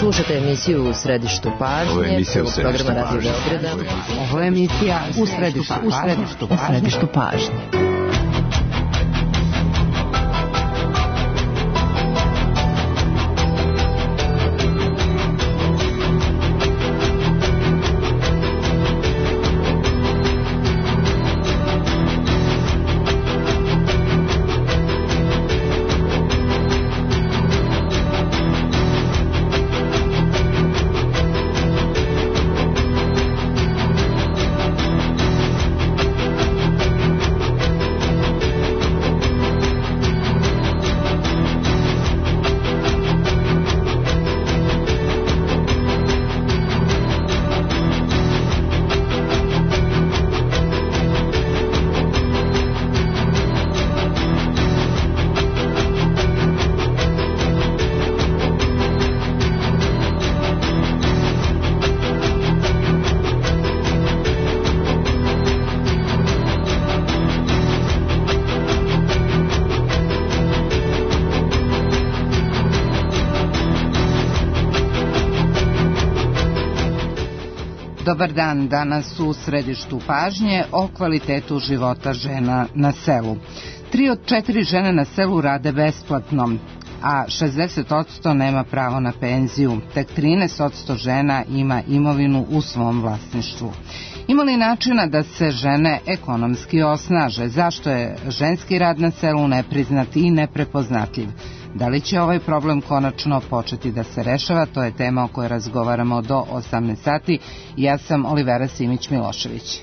Slušate emisiju U središtu pažnje, programa Radio Beograda. Ovo je emisija U središtu pažnje. Dobar dan, danas u središtu pažnje o kvalitetu života žena na selu. 3 od 4 žene na selu rade besplatno, a 60% nema pravo na penziju. Tek 13% žena ima imovinu u svom vlasništvu. Ima li načina da se žene ekonomski osnaže? Zašto je ženski rad na selu nepriznat i neprepoznatljiv? Da li će ovaj problem konačno početi da se rešava? To je tema o kojoj razgovaramo do 18 sati. Ja sam Olivera Simić-Milošević.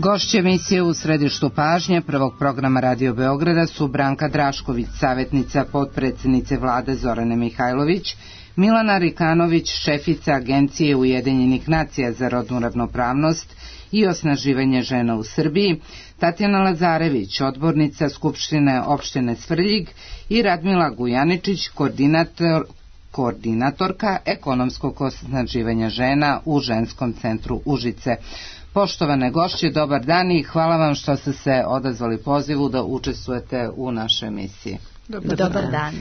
Gošće emisije U središtu pažnje prvog programa Radio Beograda su Branka Drašković, savjetnica potpredsjednice vlade Zorane Mihajlović, Milana Rikanović, šefica Agencije Ujedinjenih nacija za rodnu ravnopravnost i osnaživanje žena u Srbiji, Tatjana Lazarević, odbornica Skupštine opštine Svrljig i Radmila Gujaničić, koordinatorka ekonomskog osnaživanja žena u Ženskom centru Užice. Poštovane gošće, dobar dan i hvala vam što ste se odazvali pozivu da učestvujete u našoj emisiji. Dobar dan.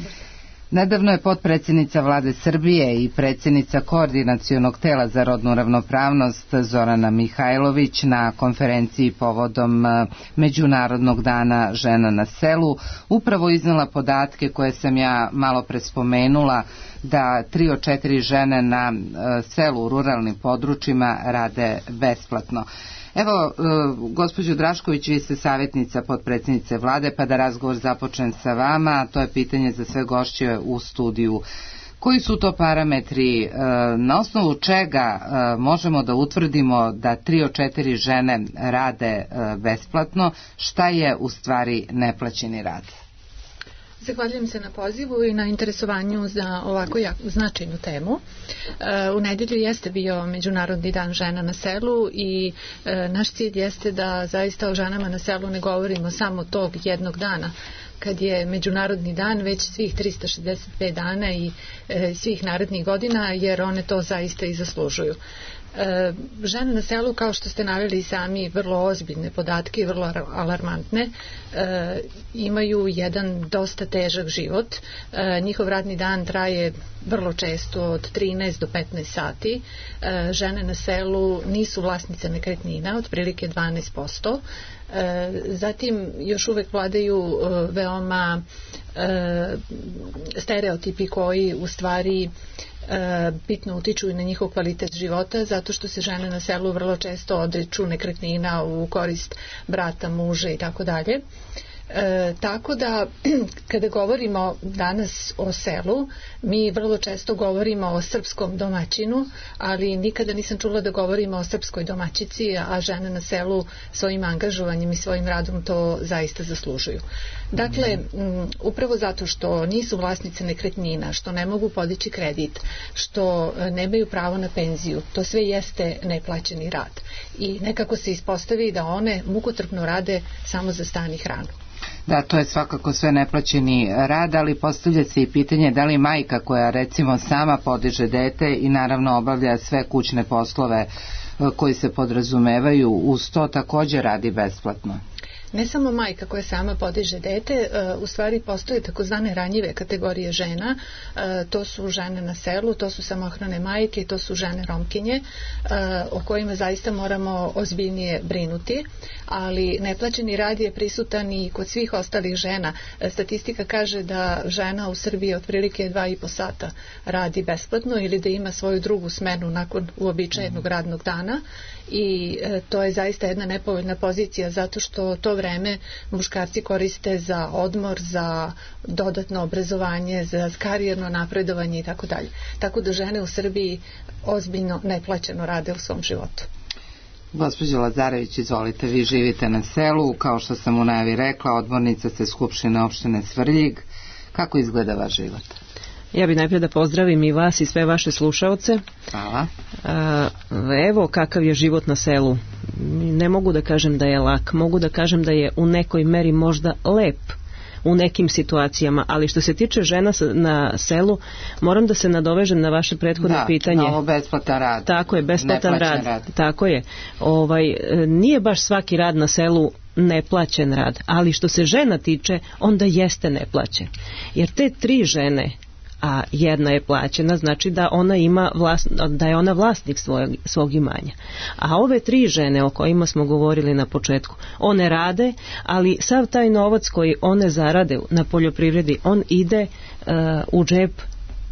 Nedavno je potpredsjednica vlade Srbije i predsjednica koordinacionog tela za rodnu ravnopravnost Zorana Mihajlović na konferenciji povodom Međunarodnog dana žena na selu upravo iznela podatke koje sam ja malo pre spomenula, da 3 od 4 žene na selu u ruralnim područjima rade besplatno. Evo, gospođo Drašković, vi ste savjetnica potpredsjednice vlade, pa da razgovor započnem sa vama, to je pitanje za sve gošće u studiju. Koji su to parametri, na osnovu čega možemo da utvrdimo da 3 od 4 žene rade besplatno, šta je u stvari neplaćeni rad? Zahvaljujem se na pozivu i na interesovanju za ovako značajnu temu. U nedjelju jeste bio Međunarodni dan žena na selu i naš cilj jeste da zaista o ženama na selu ne govorimo samo tog jednog dana kad je Međunarodni dan, već svih 365 dana i svih narednih godina, jer one to zaista i zaslužuju. Žene na selu, kao što ste naveli sami, vrlo ozbiljne podatke i vrlo alarmantne, imaju jedan dosta težak život. Njihov radni dan traje vrlo često od 13 do 15 sati. Žene na selu nisu vlasnice nekretnina, otprilike 12%. Zatim još uvek vladaju veoma stereotipi koji u stvari bitno utiču i na njihov kvalitet života, zato što se žene na selu vrlo često odriču nekretnina u korist brata, muža i tako dalje. Tako da kada govorimo danas o selu, mi vrlo često govorimo o srpskom domaćinu, ali nikada nisam čula da govorimo o srpskoj domaćici, a žene na selu svojim angažovanjem i svojim radom to zaista zaslužuju. Dakle, upravo zato što nisu vlasnice nekretnina, što ne mogu podići kredit, što nemaju pravo na penziju, to sve jeste neplaćeni rad. I nekako se ispostavi da one mukotrpno rade samo za stan i hranu. Da, to je svakako sve neplaćeni rad, ali postavlja se i pitanje da li majka koja recimo sama podiže dete i naravno obavlja sve kućne poslove koji se podrazumevaju uz to također radi besplatno. Ne samo majka koja sama podiže dete, u stvari postoje takozvane ranjive kategorije žena, to su žene na selu, to su samohrane majke, to su žene Romkinje, o kojima zaista moramo ozbiljnije brinuti, ali neplaćeni rad je prisutan i kod svih ostalih žena. Statistika kaže da žena u Srbiji otprilike 2,5 sata radi besplatno ili da ima svoju drugu smenu nakon uobičajenog radnog dana i to je zaista jedna nepovoljna pozicija zato što to vreme muškarci koriste za odmor, za dodatno obrazovanje, za karijerno napredovanje i tako dalje. Tako da žene u Srbiji ozbiljno neplaćeno rade u svom životu. Gospođo Lazarević, izvolite, vi živite na selu, kao što sam u najavi rekla, odbornica ste Skupštine opštine Svrljig. Kako izgleda vaš život? Ja bih najprije da pozdravim i vas i sve vaše slušaoce. Hvala. Evo kakav je život na selu. Ne mogu da kažem da je lak, mogu da kažem da je u nekoj meri možda lep u nekim situacijama, ali što se tiče žena na selu, moram da se nadovežem na vaše prethodno pitanje. Da, na ovo besplatan rad. Tako je, besplatan rad. Tako je. Nije baš svaki rad na selu neplaćen rad, ali što se žena tiče, onda jeste neplaćen. Jer te 3 žene, a jedna je plaćena, znači da ona ima da je ona vlasnik svog imanja. A ove 3 žene o kojima smo govorili na početku, one rade, ali sav taj novac koji one zarade na poljoprivredi, on ide u džep,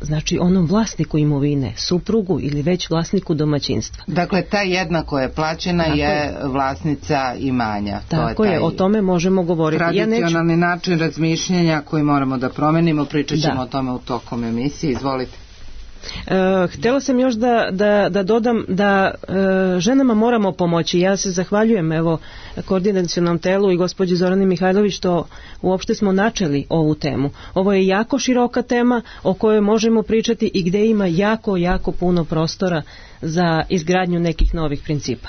znači onom vlasniku imovine, suprugu ili već vlasniku domaćinstva. Dakle, ta jedna koja je plaćena je vlasnica imanja. Tako je, o tome možemo govoriti. Tradicionalni način razmišljanja koji moramo da promenimo, pričat ćemo o tome u tokom emisije. Izvolite. Htjela sam još da dodam da ženama moramo pomoći. Ja se zahvaljujem koordinacionom telu i gospođi Zorani Mihajlović što uopšte smo načeli ovu temu. Ovo je jako široka tema o kojoj možemo pričati i gdje ima jako, jako puno prostora za izgradnju nekih novih principa.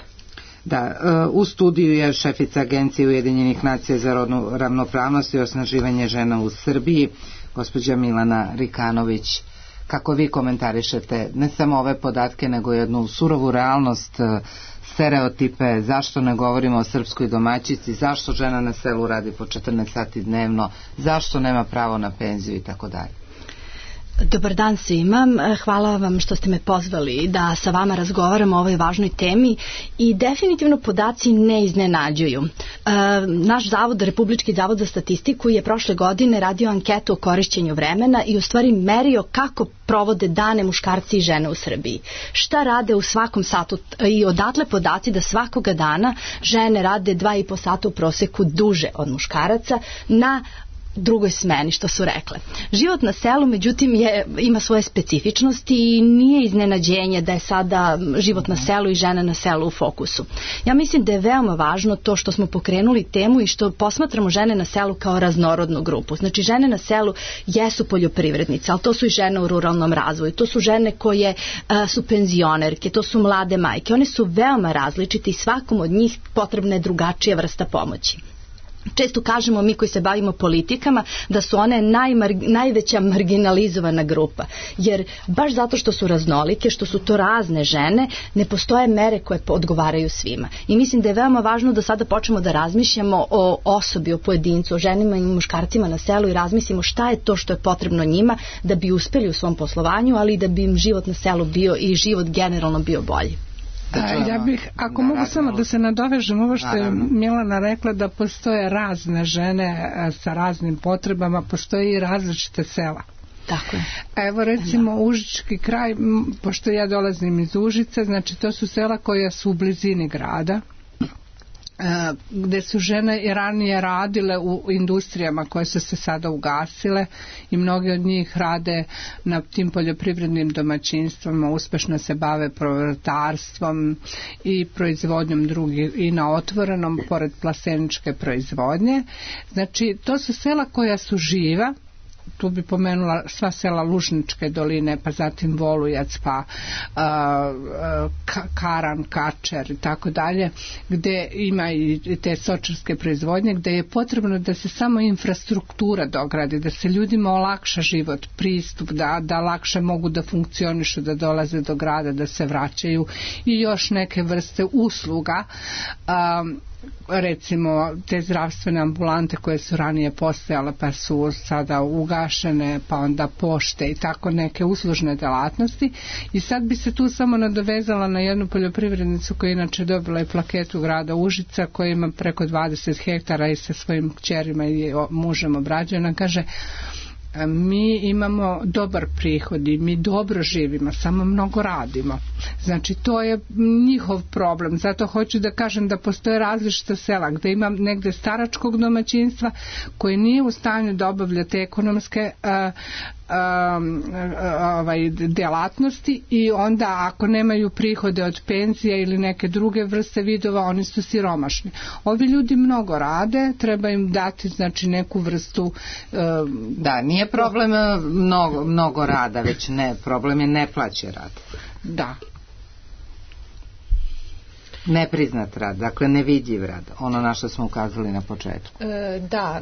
Da, u studiju je šefica Agencije Ujedinjenih nacija za rodnu ravnopravnost i osnaživanje žena u Srbiji, gospođa Milana Rikanović. Kako vi komentarišete ne samo ove podatke, nego jednu surovu realnost, stereotipe, zašto ne govorimo o srpskoj domaćici, zašto žena na selu radi po 14 sati dnevno, zašto nema pravo na penziju i tako dalje? Dobar dan svima, hvala vam što ste me pozvali da sa vama razgovaramo o ovoj važnoj temi i definitivno podaci ne iznenađuju. Naš zavod, Republički zavod za statistiku, je prošle godine radio anketu o korišćenju vremena i u stvari merio kako provode dane muškarci i žene u Srbiji. Šta rade u svakom satu i odatle podaci da svakoga dana žene rade 2,5 sata u proseku duže od muškaraca na drugoj smeni, što su rekle. Život na selu, međutim, ima svoje specifičnosti i nije iznenađenje da je sada život na selu i žena na selu u fokusu. Ja mislim da je veoma važno to što smo pokrenuli temu i što posmatramo žene na selu kao raznorodnu grupu. Znači, žene na selu jesu poljoprivrednice, ali to su i žene u ruralnom razvoju, to su žene koje su penzionerke, to su mlade majke. One su veoma različite i svakom od njih potrebna je drugačija vrsta pomoći. Često kažemo mi koji se bavimo politikama da su one najveća marginalizovana grupa, jer baš zato što su raznolike, što su to razne žene, ne postoje mere koje odgovaraju svima. I mislim da je veoma važno da sada počnemo da razmišljamo o osobi, o pojedincu, o ženima i muškarcima na selu i razmislimo šta je to što je potrebno njima da bi uspeli u svom poslovanju, ali i da bi im život na selu bio i život generalno bio bolji. Ja bih, ako mogu samo da se nadovežem ovo što je Milana rekla, da postoje razne žene sa raznim potrebama, postoje i različite sela. Tako je. Evo recimo Užički kraj, pošto ja dolazim iz Užica, znači to su sela koja su u blizini grada, gde su žene i ranije radile u industrijama koje su se sada ugasile i mnogi od njih rade na tim poljoprivrednim domaćinstvima, uspešno se bave povrtarstvom i proizvodnjom drugih i na otvorenom pored plaseničke proizvodnje. Znači to su sela koja su živa. Tu bi pomenula sva sela Lužničke doline, pa zatim Volujac, pa Karan, Kačer i tako dalje, gde ima i te stočarske proizvodnje, gde je potrebno da se samo infrastruktura dogradi, da se ljudima olakša život, pristup, da lakše mogu da funkcionišu, da dolaze do grada, da se vraćaju i još neke vrste usluga, recimo te zdravstvene ambulante koje su ranije postojale pa su sada ugašene, pa onda pošte i tako neke uslužne delatnosti. I sad bi se tu samo nadovezala na jednu poljoprivrednicu koja inače dobila i plaketu grada Užica, koja ima preko 20 hektara i sa svojim kćerima i mužem obrađuje. Ona kaže, mi imamo dobar prihod i mi dobro živimo, samo mnogo radimo. Znači to je njihov problem. Zato hoću da kažem da postoje različita sela gde ima negde staračkog domaćinstva koji nije u stanju da obavlja te ekonomske delatnosti i onda ako nemaju prihode od penzija ili neke druge vrste vidova, oni su siromašni. Ovi ljudi mnogo rade, treba im dati znači neku vrstu da, nije problem mnogo rada, već ne, problem je neplaćen rad. Da. Nepriznat rad, dakle nevidljiv rad, ono na što smo ukazali na početku. Da.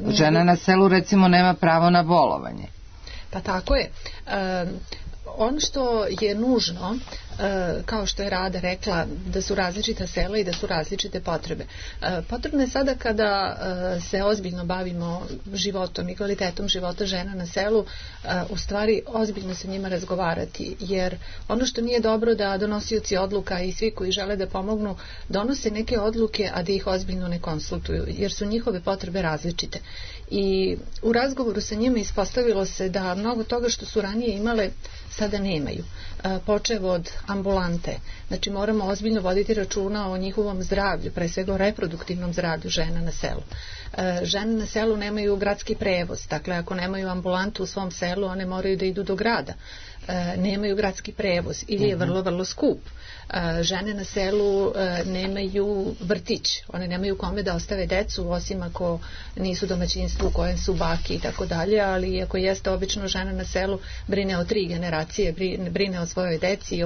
Žena na selu recimo nema pravo na bolovanje. Pa tako je. Ono što je nužno, kao što je Rada rekla, da su različita sela i da su različite potrebe. Potrebno je sada kada se ozbiljno bavimo životom i kvalitetom života žena na selu, u stvari ozbiljno se njima razgovarati, jer ono što nije dobro da donosioci odluka i svi koji žele da pomognu donose neke odluke, a da ih ozbiljno ne konsultuju, jer su njihove potrebe različite. I u razgovoru sa njima ispostavilo se da mnogo toga što su ranije imale sada nemaju. Počev od ambulante. Znači moramo ozbiljno voditi računa o njihovom zdravlju, pre svega o reproduktivnom zdravlju žena na selu. Žene na selu nemaju gradski prevoz, dakle ako nemaju ambulantu u svom selu, one moraju da idu do grada. Nemaju gradski prevoz ili je vrlo, vrlo skup. Žene na selu nemaju vrtić, one nemaju kome da ostave decu, osim ako nisu domaćinstvo u kojem su baki i tako dalje, ali ako jeste obično žena na selu brine o 3 generacije, brine o svojoj deci,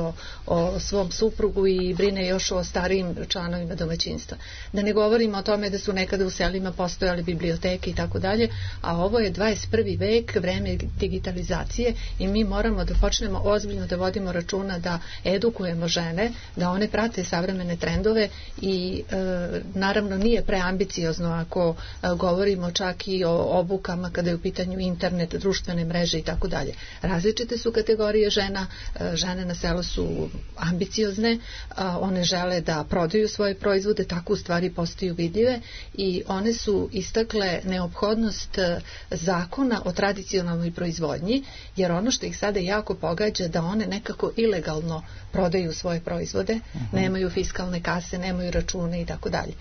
o svom suprugu i brine još o starijim članovima domaćinstva. Da ne govorimo o tome da su nekada u selima postojale biblioteke i tako dalje, a ovo je 21. vek, vreme digitalizacije i mi moramo da počnemo ozbiljno da vodimo računa da edukujemo žene, da one prate savremene trendove i naravno nije preambiciozno ako govorimo čak i o obukama kada je u pitanju internet, društvene mreže i tako dalje. Različite su kategorije žena, žene na selu su ambiciozne, one žele da prodaju svoje proizvode, tako u stvari postaju vidljive i one su istakle neophodnost zakona o tradicionalnoj proizvodnji, jer ono što ih sada jako pogađa da one nekako ilegalno prodaju svoje proizvode, nemaju fiskalne kase, nemaju račune i tako dalje.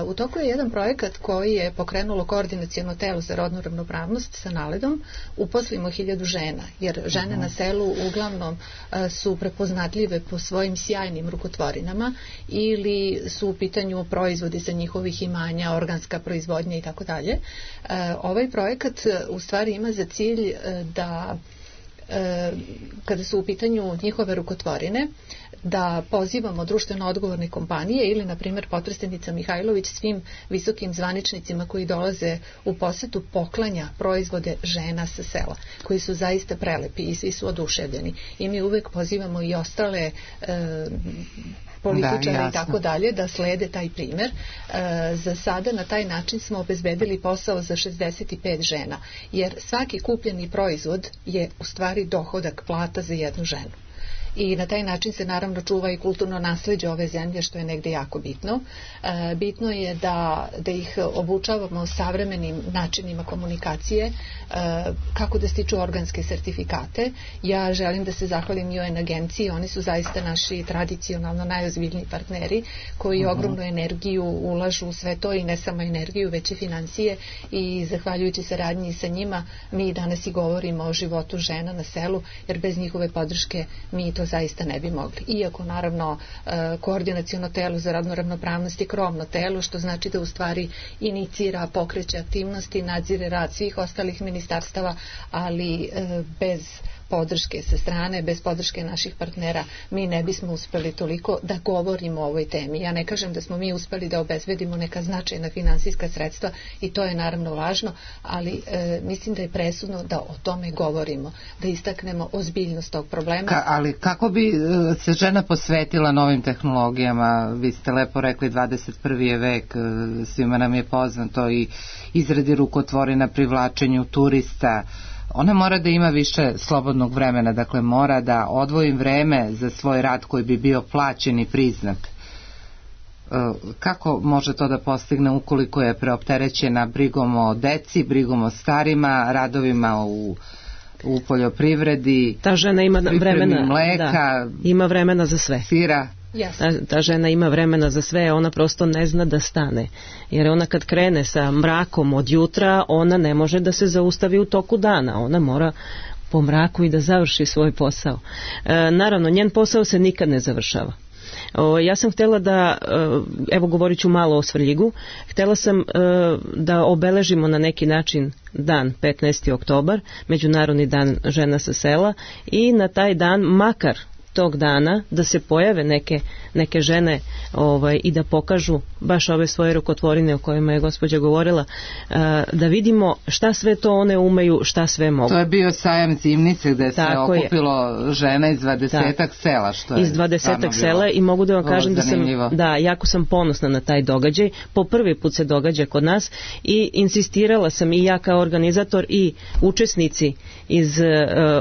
U toku je jedan projekat koji je pokrenulo koordinaciono telo za rodnu ravnopravnost sa NALED-om, uposlimo 1000 žena, jer žene na selu uglavnom su prepoznatljive po svojim sjajnim rukotvorinama ili su u pitanju proizvodi sa njihovih imanja, organska proizvodnja i tako dalje. Ovaj projekat u stvari ima za cilj da kada su u pitanju njihove rukotvorine, da pozivamo društveno odgovorne kompanije ili, na primjer, potpredsednica Mihajlović svim visokim zvaničnicima koji dolaze u posetu poklanja proizvode žena sa sela, koji su zaista prelepi i svi su oduševljeni. I mi uvek pozivamo i ostale političare i tako dalje da slede taj primjer. Za sada na taj način smo obezbedili posao za 65 žena, jer svaki kupljeni proizvod je u stvari dohodak, plata za jednu ženu. i na taj način se naravno čuva i kulturno nasleđe ove zemlje, što je negde jako bitno. Bitno je da ih obučavamo savremenim načinima komunikacije, kako da stiču organske sertifikate. Ja želim da se zahvalim i UN agenciji, oni su zaista naši tradicionalno najozbiljniji partneri koji ogromnu energiju ulažu u sve to i ne samo energiju, već i financije, i zahvaljujući saradnji sa njima mi danas i govorimo o životu žena na selu, jer bez njihove podrške mi to zaista ne bi mogli. Iako naravno koordinaciono telo za rodnu ravnopravnost je krovno telo, što znači da u stvari inicira, pokreće aktivnosti, nadzire rad svih ostalih ministarstava, ali bez podrške sa strane, bez podrške naših partnera mi ne bismo uspeli toliko da govorimo o ovoj temi. Ja ne kažem da smo mi uspeli da obezbedimo neka značajna finansijska sredstva i to je naravno važno, ali mislim da je presudno da o tome govorimo, da istaknemo ozbiljnost tog problema. Ali kako bi se žena posvetila novim tehnologijama? Vi ste lepo rekli 21. je vek, svima nam je poznato i izradi rukotvorina, privlačenju turista. Ona mora da ima više slobodnog vremena, dakle mora da odvoji vreme za svoj rad koji bi bio plaćen i priznat. Kako može to da postigne ukoliko je preopterećena brigom o deci, brigom o starima, radovima u poljoprivredi, ta žena ima vremena, mleka, ima vremena za sve. Sira. Ta žena ima vremena za sve, ona prosto ne zna da stane, jer ona kad krene sa mrakom od jutra, ona ne može da se zaustavi u toku dana, ona mora po mraku i da završi svoj posao. Naravno, njen posao se nikad ne završava. Ja sam htjela da, evo govorit ću malo o Svrljigu, htjela sam da obeležimo na neki način dan 15. oktobar, Međunarodni dan žena sa sela, i na taj dan makar tog dana da se pojave neke žene i da pokažu baš ove svoje rukotvorine o kojima je gospođa govorila, da vidimo šta sve to one umeju, šta sve mogu. To je bio sajam Zimnice gde se okupilo žena iz 20-ak sela, što je iz 20-ak sela, i mogu da vam kažem da jako sam ponosna na taj događaj. Po prvi put se događa kod nas i insistirala sam, i ja kao organizator i učesnici iz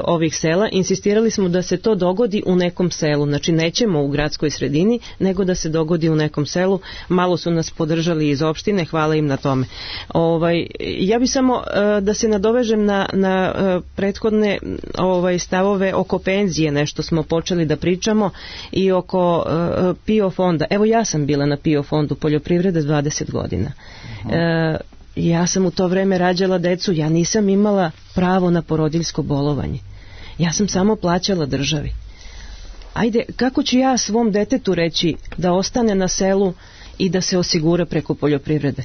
ovih sela, insistirali smo da se to dogodi u nekom selu, znači nećemo u gradskoj sredini, nego da se dogodi u nekom selu. Malo su nas podržali iz opštine, hvala im na tome. Ja bi samo da se nadovežem na prethodne stavove oko penzije, nešto smo počeli da pričamo, i oko PIO fonda. Evo, ja sam bila na PIO fondu poljoprivrede 20 godina. Ja sam u to vreme rađala decu, ja nisam imala pravo na porodiljsko bolovanje. Ja sam samo plaćala državi. Ajde, kako ću ja svom detetu reći da ostane na selu i da se osigura preko poljoprivrede?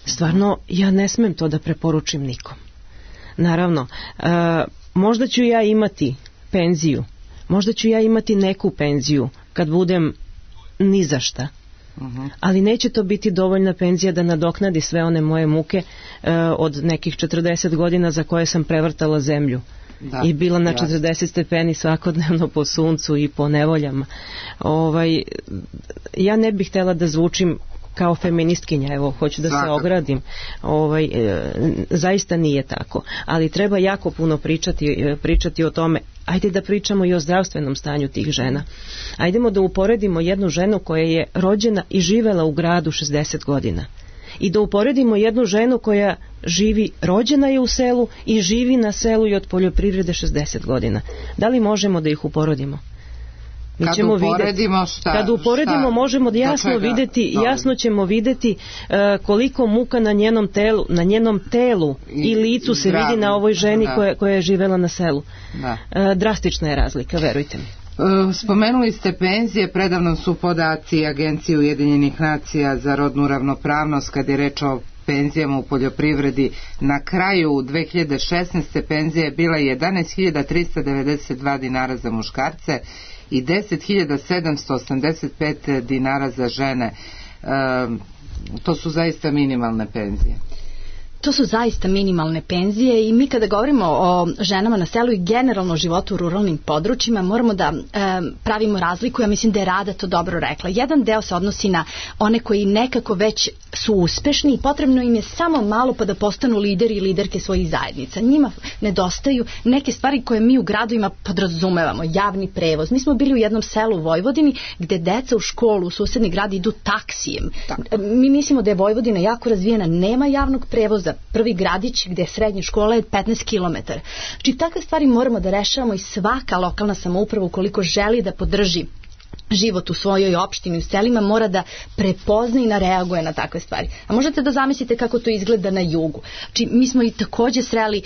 Stvarno, ja ne smem to da preporučim nikom. Naravno, možda ću ja imati penziju, možda ću ja imati neku penziju kad budem ni za šta, ali neće to biti dovoljna penzija da nadoknadi sve one moje muke od nekih 40 godina za koje sam prevrtala zemlju. I bila na 40 stepeni svakodnevno po suncu i po nevoljama. Ja ne bih htjela da zvučim kao feministkinja, evo, hoću da se ogradim. Zaista nije tako. Ali treba jako puno pričati o tome. Ajde da pričamo i o zdravstvenom stanju tih žena. Ajdemo da uporedimo jednu ženu koja je rođena i živela u gradu 60 godina. I da uporedimo jednu ženu koja rođena je u selu i živi na selu i od poljoprivrede 60 godina. Da li možemo da ih uporedimo? Kad uporedimo možemo da jasno ćemo vidjeti koliko muka na njenom telu i licu se vidi na ovoj ženi koja je živela na selu. Drastična je razlika, verujte mi. Spomenuli ste penzije, predavno su podaci Agencije Ujedinjenih nacija za rodnu ravnopravnost kad je reč o penzijama u poljoprivredi. Na kraju 2016. penzija je bila 11.392 dinara za muškarce i 10.785 dinara za žene. To su zaista minimalne penzije. To su zaista minimalne penzije i mi kada govorimo o ženama na selu i generalno životu u ruralnim područjima moramo da pravimo razliku. Ja mislim da je Rada to dobro rekla. Jedan deo se odnosi na one koji nekako već su uspešni i potrebno im je samo malo pa da postanu lideri i liderke svojih zajednica. Njima nedostaju neke stvari koje mi u gradovima podrazumevamo. Javni prevoz. Mi smo bili u jednom selu u Vojvodini gde deca u školu u susedni grad idu taksijem. Mi mislimo da je Vojvodina jako razvijena, nema javnog prevoza. Prvi gradić gde je srednja škola je 15 km. Znači takve stvari moramo da rešavamo i svaka lokalna samouprava ukoliko želi da podrži život u svojoj opštini, u selima, mora da prepozna i reaguje na takve stvari. A možete da zamislite kako to izgleda na jugu. Znači, mi smo i takođe sreli,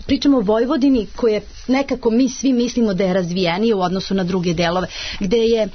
pričamo o Vojvodini koje nekako mi svi mislimo da je razvijenije u odnosu na druge delove, gde je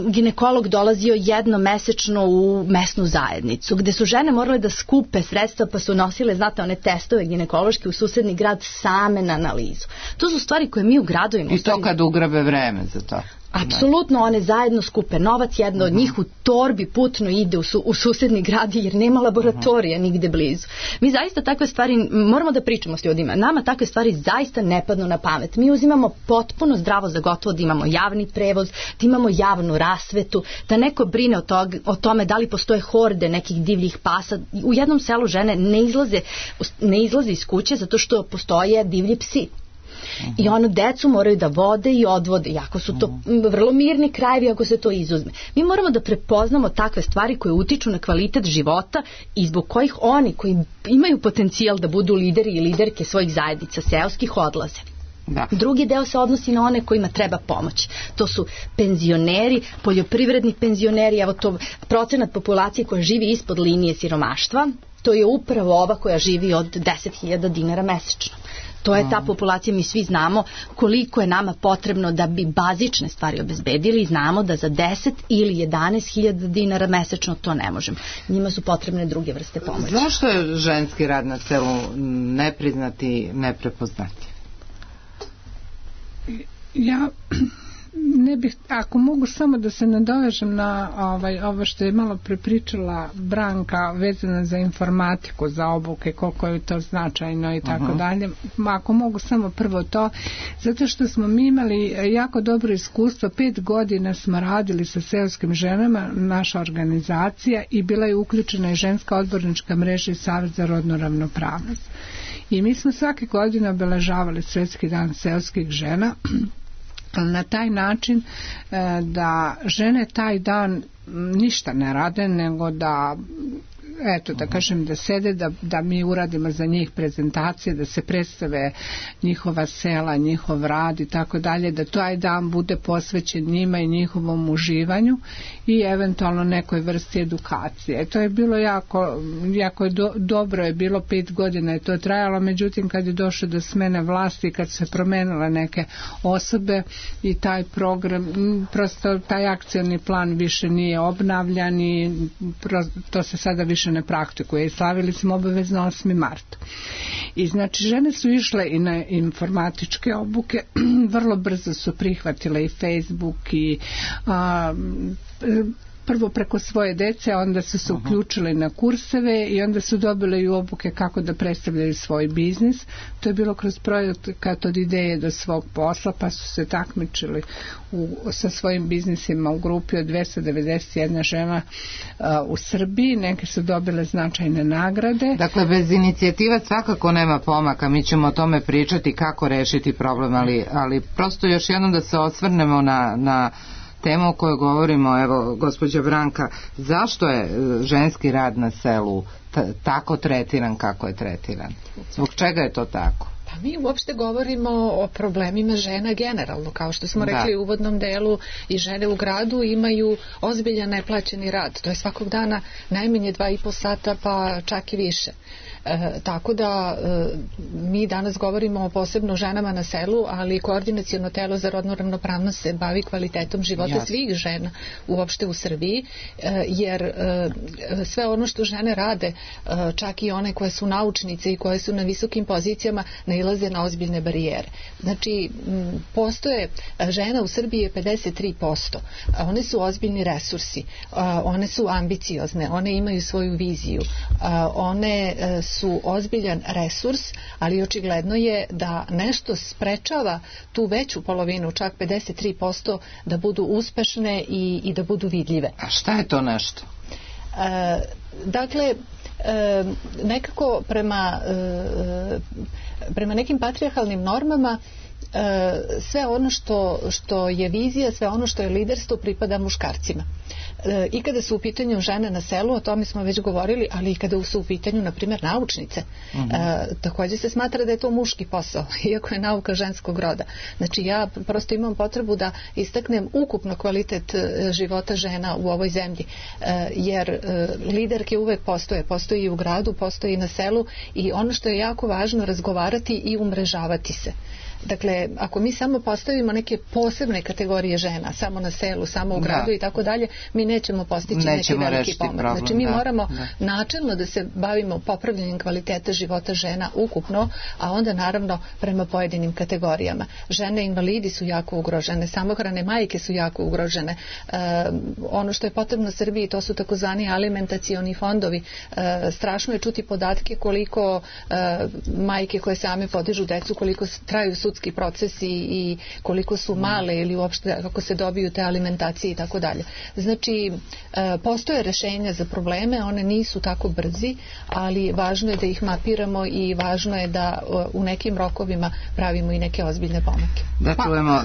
ginekolog dolazio jednomesečno u mesnu zajednicu, gde su žene morale da skupe sredstva pa su nosile, znate, one testove ginekološke u susedni grad same na analizu. To su stvari koje mi u gradovima... I to kad ugrabe vreme za to. Apsolutno, one zajedno skupe novac, jedna od njih u torbi putno ide u susedni grad jer nema laboratorija nigde blizu. Mi zaista takve stvari moramo da pričamo s ljudima. Nama takve stvari zaista ne padnu na pamet. Mi uzimamo potpuno zdravo za gotovo da imamo javni prevoz, da imamo javnu rasvetu, da neko brine o tome da li postoje horde nekih divljih pasa. U jednom selu žene ne izlaze iz kuće zato što postoje divlji psi. I ono, decu moraju da vode i odvode, iako su to vrlo mirni krajevi ako se to izuzme. Mi moramo da prepoznamo takve stvari koje utiču na kvalitet života i zbog kojih oni koji imaju potencijal da budu lideri i liderke svojih zajednica seoskih odlaze. Da. Drugi deo se odnosi na one kojima treba pomoć. To su penzioneri, poljoprivredni penzioneri, evo to procenat populacije koja živi ispod linije siromaštva, to je upravo ova koja živi od 10.000 dinara mesečno. To je ta populacija, mi svi znamo koliko je nama potrebno da bi bazične stvari obezbedili i znamo da za 10 ili 11.000 dinara mesečno to ne možemo. Njima su potrebne druge vrste pomoći. Zašto je ženski rad na selu nepriznati, neprepoznati? Ja ne bih, ako mogu samo da se nadovežem na ovo što je malo prepričala Branka vezano za informatiku, za obuke, koliko je to značajno i tako dalje. Ako mogu samo prvo to, zato što smo mi imali jako dobro iskustvo, 5 godina smo radili sa seoskim ženama, naša organizacija, i bila je uključena i ženska odbornička mreža i Savet za rodnu ravnopravnost. I mi smo svake godine obeležavali Svetski dan seoskih žena na taj način da žene taj dan ništa ne rade, nego da kažem, da sede, da mi uradimo za njih prezentacije, da se predstave njihova sela, njihov rad i tako dalje, da taj dan bude posvećen njima i njihovom uživanju i eventualno nekoj vrsti edukacije. To je bilo jako dobro je bilo, 5 godina je to trajalo, međutim kad je došlo do smene vlasti, kad se promenile neke osobe i taj program, prosto taj akcioni plan više nije obnavljan i to se sada više ne praktikuje i slavili smo obavezno 8. marta. I znači žene su išle i na informatičke obuke, vrlo brzo su prihvatile i Facebook i prvo preko svoje dece, onda su se uključile na kurseve i onda su dobile i obuke kako da predstavljaju svoj biznis. To je bilo kroz projekat od ideje do svog posla, pa su se takmičili sa svojim biznisima u grupi od 291 žena u Srbiji. Neke su dobile značajne nagrade. Dakle, bez inicijativa svakako nema pomaka. Mi ćemo o tome pričati kako rešiti problem, ali prosto još jednom da se osvrnemo na temu o kojoj govorimo. Evo, gospođa Branka, zašto je ženski rad na selu tako tretiran kako je tretiran? Zbog čega je to tako? Pa mi uopšte govorimo o problemima žena generalno, kao što smo rekli u uvodnom delu, i žene u gradu imaju ozbiljan neplaćeni rad. To je svakog dana najmanje 2,5 sata, pa čak i više. Tako da mi danas govorimo o posebno ženama na selu, ali Koordinaciono telo za rodnu ravnopravnost se bavi kvalitetom života svih žena uopšte u Srbiji, jer sve ono što žene rade, čak i one koje su naučnice i koje su na visokim pozicijama, nailaze na ozbiljne barijere. Znači, postoje žena u Srbiji je 53%. One su ozbiljni resursi, one su ambiciozne, one imaju svoju viziju, one su ozbiljan resurs, ali očigledno je da nešto sprečava tu veću polovinu, čak 53%, da budu uspešne i da budu vidljive. A šta je to nešto? Dakle, nekako prema nekim patrijarhalnim normama sve ono što je vizija, sve ono što je liderstvo pripada muškarcima. I kada su u pitanju žene na selu, o tome smo već govorili, ali i kada su u pitanju, na primjer, naučnice, također se smatra da je to muški posao, iako je nauka ženskog roda. Znači ja prosto imam potrebu da istaknem ukupno kvalitet života žena u ovoj zemlji, jer liderke uvek postoji i u gradu, postoji i na selu, i ono što je jako važno, razgovarati i umrežavati se. Dakle, ako mi samo postavimo neke posebne kategorije žena, samo na selu, samo u gradu i tako dalje, mi nećemo postići neki veliki pomak. Znači, mi moramo načelno da se bavimo popravljanjem kvaliteta života žena ukupno, a onda naravno prema pojedinim kategorijama. Žene invalidi su jako ugrožene, samohrane majke su jako ugrožene. Ono što je potrebno Srbiji, to su takozvani alimentacioni fondovi. Strašno je čuti podatke koliko majke koje same podižu decu, koliko traju sudski procesi i koliko su male ili uopšte kako se dobiju te alimentacije i tako dalje. Znači, postoje rešenja za probleme, one nisu tako brzi, ali važno je da ih mapiramo i važno je da u nekim rokovima pravimo i neke ozbiljne pomake.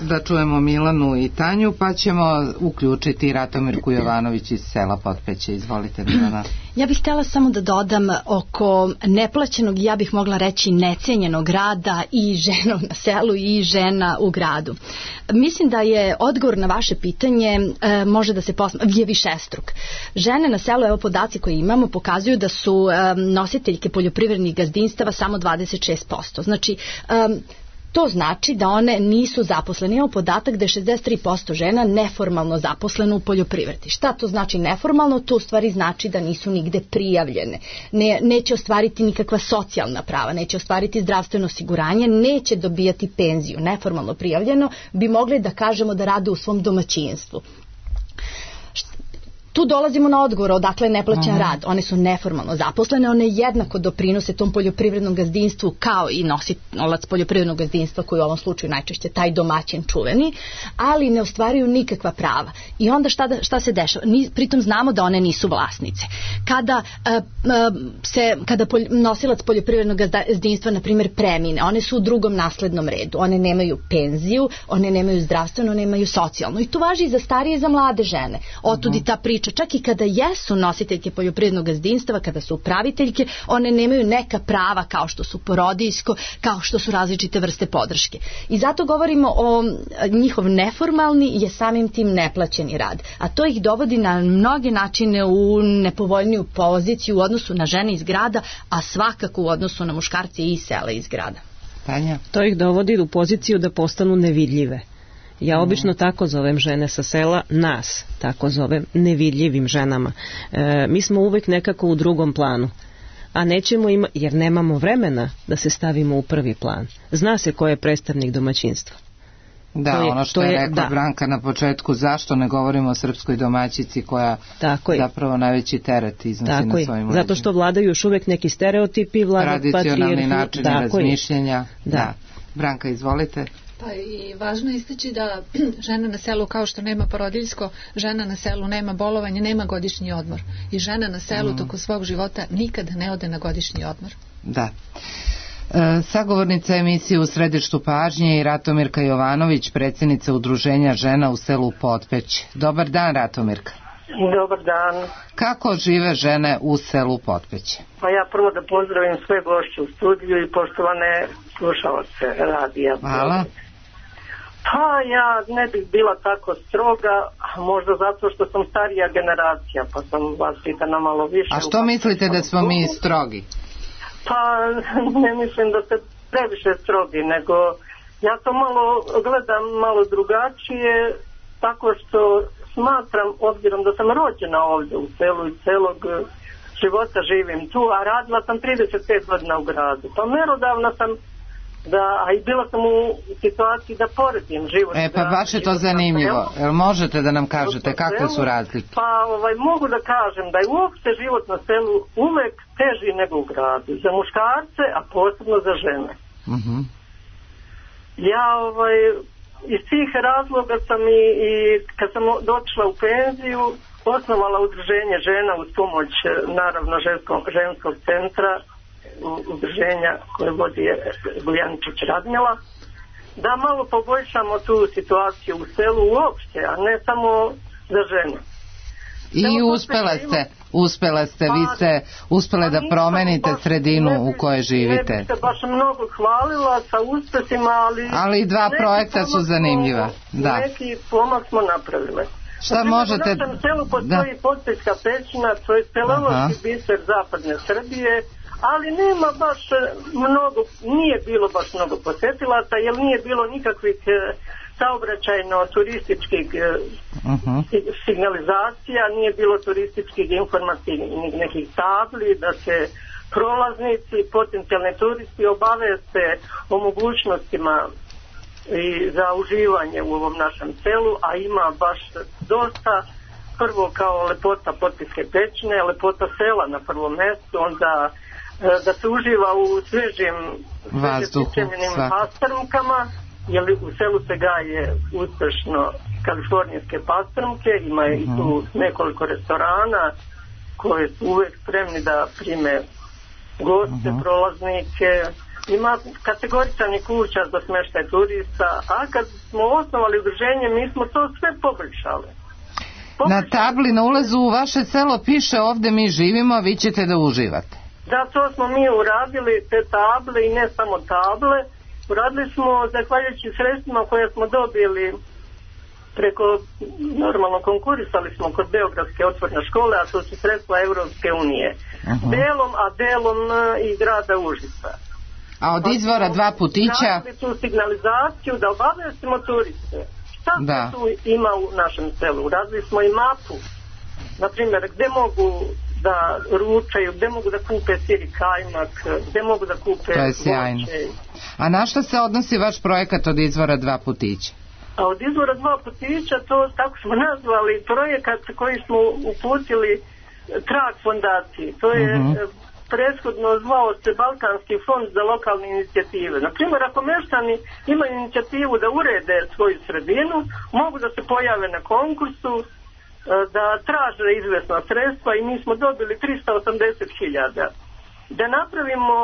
Da čujemo Milanu i Tanju, pa ćemo uključiti Ratomirku Jovanović iz sela Potpeće. Izvolite, Milana. Ja bih htjela samo da dodam oko neplaćenog, ja bih mogla reći necenjenog rada i žena na selu i žena u gradu. Mislim da je odgovor na vaše pitanje može da se je višestruk. Žene na selu, evo podaci koje imamo, pokazuju da su nositeljke poljoprivrednih gazdinstava samo 26%. Znači, to znači da one nisu zaposlene. Imamo podatak da je 63% žena neformalno zaposleno u poljoprivredi. Šta to znači neformalno? To u stvari znači da nisu nigde prijavljene. Neće ostvariti nikakva socijalna prava, neće ostvariti zdravstveno osiguranje, neće dobijati penziju. Neformalno prijavljeno bi mogli da kažemo da rade u svom domaćinstvu. Tu dolazimo na odgovor odakle je neplaćen rad. One su neformalno zaposlene, one jednako doprinose tom poljoprivrednom gazdinstvu kao i nosilac poljoprivrednog gazdinstva, koji u ovom slučaju najčešće taj domaćin čuveni, ali ne ostvaruju nikakva prava. I onda šta se dešava? Pritom znamo da one nisu vlasnice. Kada nosilac poljoprivrednog gazdinstva, na primjer, premine, one su u drugom naslednom redu. One nemaju penziju, one nemaju zdravstveno, nemaju socijalno. I to važi i za starije i za mlade žene. Otud i ta priča. Čak i kada jesu nositeljke poljoprivrednog gazdinstva, kada su upraviteljke, one nemaju neka prava kao što su porodijsko, kao što su različite vrste podrške. I zato govorimo o njihov neformalni je samim tim neplaćeni rad. A to ih dovodi na mnoge načine u nepovoljniju poziciju u odnosu na žene iz grada, a svakako u odnosu na muškarce iz sela iz grada. Tanja? To ih dovodi u poziciju da postanu nevidljive. Ja obično tako zovem žene sa sela, nas tako zovem nevidljivim ženama. Mi smo uvek nekako u drugom planu, a nećemo jer nemamo vremena da se stavimo u prvi plan. Zna se ko je predstavnik domaćinstva. Da, ono što je rekla Branka na početku, zašto ne govorimo o srpskoj domaćici koja zapravo najveći teret iznosi na svojim leđima. Zato što vladaju još uvek neki stereotipi, tradicionalni načini razmišljenja. Da. Branka, izvolite. Pa i važno je istaći da žena na selu, kao što nema porodiljsko, žena na selu nema bolovanje, nema godišnji odmor. I žena na selu tokom svog života nikad ne ode na godišnji odmor. Da. Sagovornica emisije U središtu pažnje i Ratomirka Jovanović, predsjednica Udruženja žena u selu Potpeć. Dobar dan, Ratomirka. Dobar dan. Kako žive žene u selu Potpeće? Pa ja prvo da pozdravim sve gošće u studiju i poštovane slušalce radija. Hvala. Pa ja ne bih bila tako stroga, možda zato što sam starija generacija, pa sam vas pitana malo više. A što mislite da smo mi strogi? Pa ne mislim da ste previše strogi, nego ja to malo gledam malo drugačije, tako što smatram, obzirom da sam rođena ovdje u selu i celog života živim tu, a radila sam 35 godina u gradu. Pa merodavna sam a i bila sam u situaciji da poredim život. Pa baš je to zanimljivo. Jel možete da nam kažete kakve su razlike? Pa mogu da kažem da je uopšte život na selu uvek teži nego u gradu. Za muškarce, a posebno za žene. Ja iz tih razloga sam i kad sam došla u penziju osnovala udruženje žena uz pomoć naravno ženskog centra, udruženja koje vodi Bujaničić Radmila, da malo poboljšamo tu situaciju u selu uopšte, a ne samo za žene. I uspela ste, vi ste uspele da promenite sredinu u kojoj živite. Ne bih se baš mnogo hvalila sa uspesima, ali 2 projekta su zanimljiva. Neki pomak smo napravile. Šta možete... Na našem selu postoji Potpećka pećina, to je speleološki biser zapadne Srbije, ali nema baš mnogo, nije bilo baš mnogo posetilaca, jer nije bilo nikakvih saobraćajno-turističkih signalizacija, nije bilo turističkih informativnih nekih tabli, da se prolaznici, potencijalni turisti obaveste o mogućnostima i za uživanje u ovom našem selu, a ima baš dosta. Prvo kao lepota Potpećke pećine, lepota sela na prvom mjestu, onda da se uživa u svežim pripremljenim pastrmkama, jer u selu se gaje uspešno kalifornijske pastrmke, ima i tu nekoliko restorana koje su uvek spremni da prime goste, prolaznike, ima kategoričanih kuća za smještaj turista, a kad smo osnovali udruženje mi smo to sve poboljšali. Na tabli na ulazu u vaše selo piše ovde mi živimo, a vi ćete da uživate. Da, to smo mi uradili, te table i ne samo table. Uradili smo, zahvaljujući sredstvima koje smo dobili preko, normalno konkurisali smo kod Beogradske otvorene škole, a to su sredstva Evropske unije. Delom i grada Užica. A od izvora 2 putića... Radili tu signalizaciju da obavestimo turiste. Šta se tu ima u našem selu? Uradili smo i mapu, na primjer, gde mogu da ručaju, gde mogu da kupe sir i kajmak, gde mogu da kupe... To je sjajno. A na što se odnosi vaš projekat od izvora 2 putića? A od izvora 2 putića, to tako smo nazvali projekat koji smo uputili Trag fondaciji. To je prethodno zvao se Balkanski fond za lokalne inicijative. Naprimjer, ako meštani imaju inicijativu da urede svoju sredinu, mogu da se pojave na konkursu, da traže izvesna sredstva i mi smo dobili 380.000. Da napravimo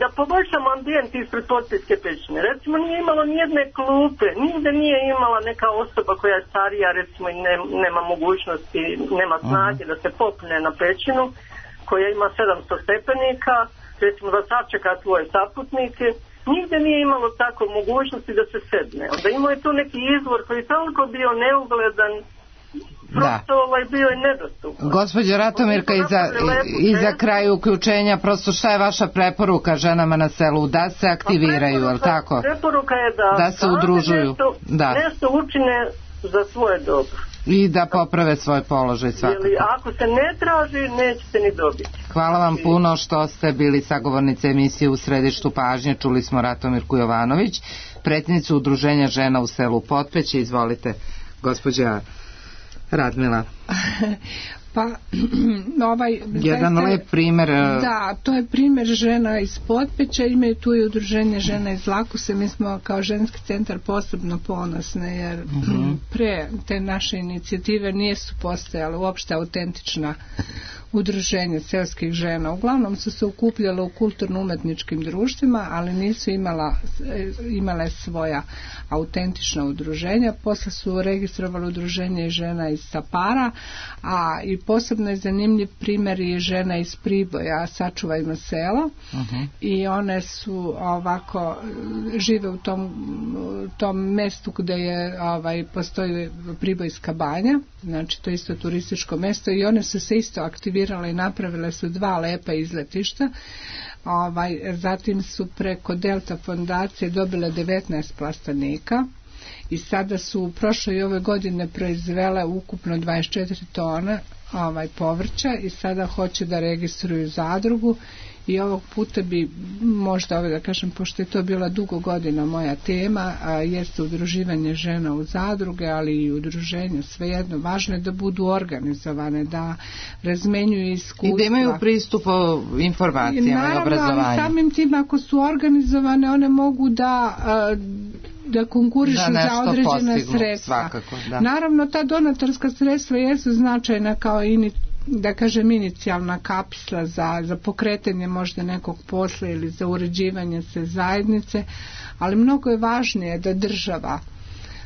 da poboljšamo ambijent ispred Potpećke pećine. Recimo nije imalo nijedne klupe, nigde nije imala neka osoba koja je starija, recimo i nema mogućnosti, nema snage da se popne na pećinu koja ima 700 stepenika, recimo da sačeka svoje saputnike. Nigde nije imalo tako mogućnosti da se sedne. Onda imao je tu neki izvor koji je toliko bio neugledan, prosto bio je nedostupan. Gospođo Ratomirka, i za kraj uključenja, prosto šta je vaša preporuka ženama na selu? Da se aktiviraju, je li tako? Preporuka je da se udružuju, nešto učine za svoje dobro. I da poprave svoj položaj svakako. Ako se ne traži, nećete ni dobiti. Hvala vam puno što ste bili sagovornice emisije U središtu pažnje. Čuli smo Ratomirku Jovanović, predsjednicu udruženja žena u selu Potpeće. Izvolite, gospođa Radmila. Pa, jedan lep primer. Da, to je primer žena iz Potpeća, imaju tu i udruženje žena iz Lakuse. Mi smo kao ženski centar posebno ponosne, jer pre te naše inicijative nisu postojale uopšte autentična udruženja selskih žena. Uglavnom su se okupljale u kulturno-umetničkim društvima, ali nisu imale svoja autentična udruženja. Posle su registrovali udruženje i žena iz Sapara, a i posebno je zanimljiv primjer je žena iz Priboja, Sačuvajmo selo, i one su ovako žive u tom mestu gde je postoji Pribojska banja, znači to je isto turističko mesto, i one su se isto aktivirale i napravile su 2 lepa izletišta. Zatim su preko Delta fondacije dobile 19 plastenika i sada su u prošloj i ove godine proizvele ukupno 24 tona povrća i sada hoće da registruju zadrugu i ovog puta bi možda, da kažem, pošto je to bila dugo godina moja tema, jeste udruživanje žena u zadruge, ali i udruženja, svejedno, važno je da budu organizovane, da razmenjuju iskustva. I da imaju pristup informacijama i obrazovanju. Ali samim tim, ako su organizovane, one mogu da konkurišu za određena sredstva. Svakako, da. Naravno, ta donatorska sredstva jesu značajna kao da kažem inicijalna kapsla za pokretanje možda nekog posla ili za uređivanje se zajednice, ali mnogo je važnije da država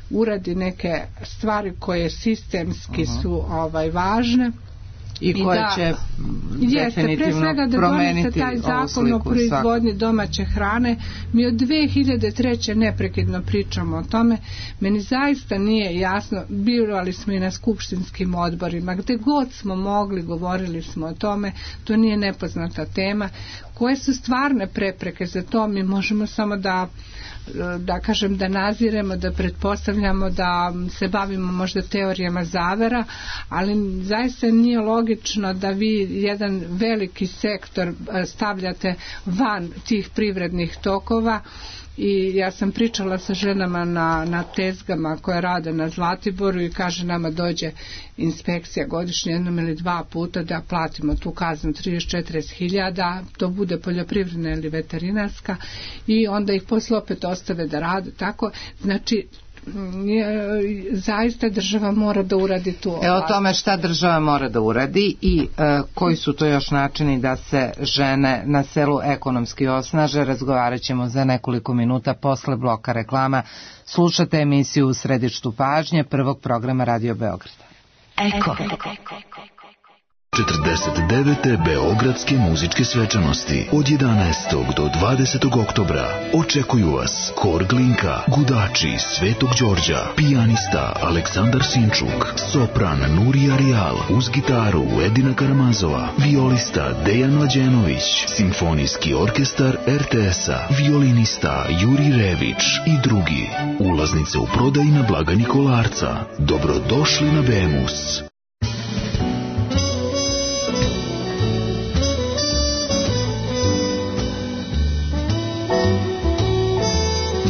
uradi neke stvari koje sistemski su važne i koje će definitivno promeniti taj zakon o proizvodnji domaće hrane. Mi od 2003. neprekidno pričamo o tome. Meni zaista nije jasno, birali smo i na skupštinskim odborima, gde god smo mogli, govorili smo o tome, to nije nepoznata tema. Koje su stvarne prepreke za to? Mi možemo samo da kažem da naziremo, da pretpostavljamo, da se bavimo možda teorijama zavera, ali zaista nije logično da vi jedan veliki sektor stavljate van tih privrednih tokova. I ja sam pričala sa ženama na tezgama koje rade na Zlatiboru i kaže nama dođe inspekcija godišnje jednom ili dva puta da platimo tu kaznu 30-40 000, to bude poljoprivredna ili veterinarska i onda ih posle opet ostave da rade tako. Znači zaista država mora da uradi tu. O tome šta država mora da uradi i koji su to još načini da se žene na selu ekonomski osnaže, razgovarat ćemo za nekoliko minuta posle bloka reklama. Slušate emisiju U središtu pažnje prvog programa Radio Beograda. Eko. 49. Beogradske muzičke svečanosti od 11. do 20. oktobra očekuju vas Hor Glinka, Gudači Svetog Đorđa, pijanista Aleksandar Sinčuk, sopran Nurija Rijal, uz gitaru Edina Karamazova, violista Dejan Mlađenović, simfonijski orkestar RTS-a, violinista Juri Rević i drugi. Ulaznice u prodaji na blagajni Kolarca. Dobrodošli na Bemus.